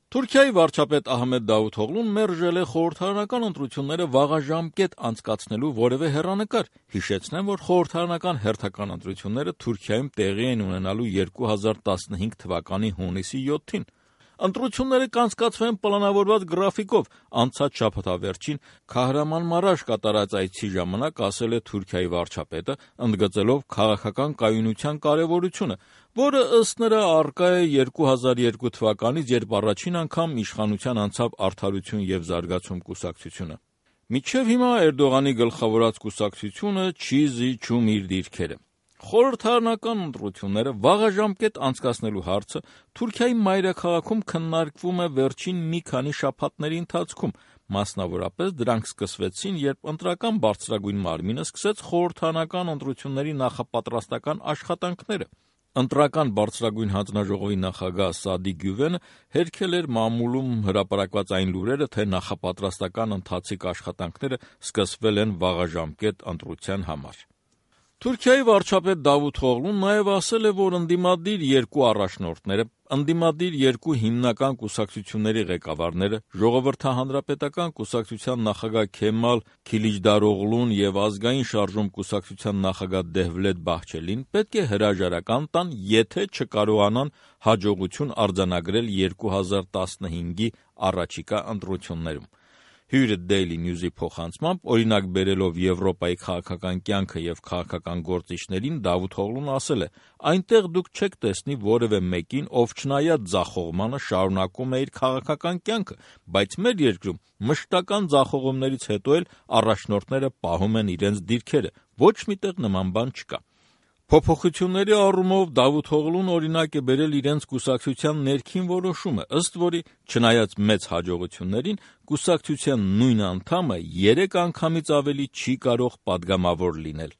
Թուրքիայի վարչապետ Ահմեդ Դավութօղլուն մերժել է խորհրդարանական ընտրությունները վաղաժամկետ անցկացնելու որևէ հեռանկար, հիշեցնեմ, որ խորհրդարանական հերթական ընտրությունները Թուրքիայում տեղի են ունենալու 2015 թվականի հունիսի 7-ին: Ընտրությունները կանցկացվեն պլանավորված գրաֆիկով, անցած շաբաթավերջին Քահրամանմարաշ կատարած այցի ժամանակ ասել է Թուրքիայի վարչապետը, ընդգծելով քաղաքական կայունության կարևորությունը, որը ըստ նրա առկա է 2002 թվականից, երբ առաջին անգամ իշխանության անցավ Արդարություն և զարգացում կուսակցությունը: Մինչև հիմա Էրդողանի գլխավորած կուսակցությունը չի զիջում իր դիրքերը: Խորհրդարանական ընտրությունները վաղաժամկետ անցկացնելու հարցը Թուրքիայի մայրաքաղաքում քննարկվում է վերջին մի քանի շաբաթների ընթացքում, մասնավորապես դրանք սկսվեցին, երբ ընտրական բարձրագույն մարմինը սկսեց խորհրդարանական ընտրությունների նախապատրաստական աշխատանքները: Ընտրական բարձրագույն հանձնաժողովի նախագահ Սադիկ Գյուվենը հերքել էր մամուլում հրապարակված այն լուրերը, թե նախապատրաստական ընթացիկ աշխատանքները սկսվել են վաղաժամկետ ընտրության համար: Թուրքիայի վարչապետ Դավութօղլուն նաև ասել է, որ ընդդիմադիր երկու առաջնորդները, ընդդիմադիր երկու հիմնական կուսակցությունների ղեկավարները, Ժողովրդահանրապետական կուսակցության նախագահ Քեմալ Քիլիչդարօղլուն և Ազգային շարժում կուսակցության նախագահ Դեհվլետ Բահչելին պետք է հրաժարական տան, եթե չկարողանան հաջողություն արձանագրել 2015-ի առաջիկա ընտրություններում: Հյուրը Daily News-ի փոխանցմամբ, օրինակ բերելով Եվրոպայի քաղաքական կյանքը և քաղաքական գործիչներին, Դավութօղլուն ասել է. «Այնտեղ դուք չեք տեսնի որևէ մեկին, ով չնայած ձախողմանը շարունակում է իր քաղաքական կյանքը, բայց մեր երկրում մշտական ձախողումներից հետո էլ առաջնորդները պահում են իրենց դիրքերը, ոչ մի տեղ նման բան չկա»: Փոփոխությունների առումով Դավութօղլուն օրինակ է բերել իրենց կուսակցության ներքին որոշումը, ըստ որի, չնայած մեծ հաջողություններին, կուսակցության նույն անդամը 3 անգամից ավելի չի կարող պատգամավոր լինել: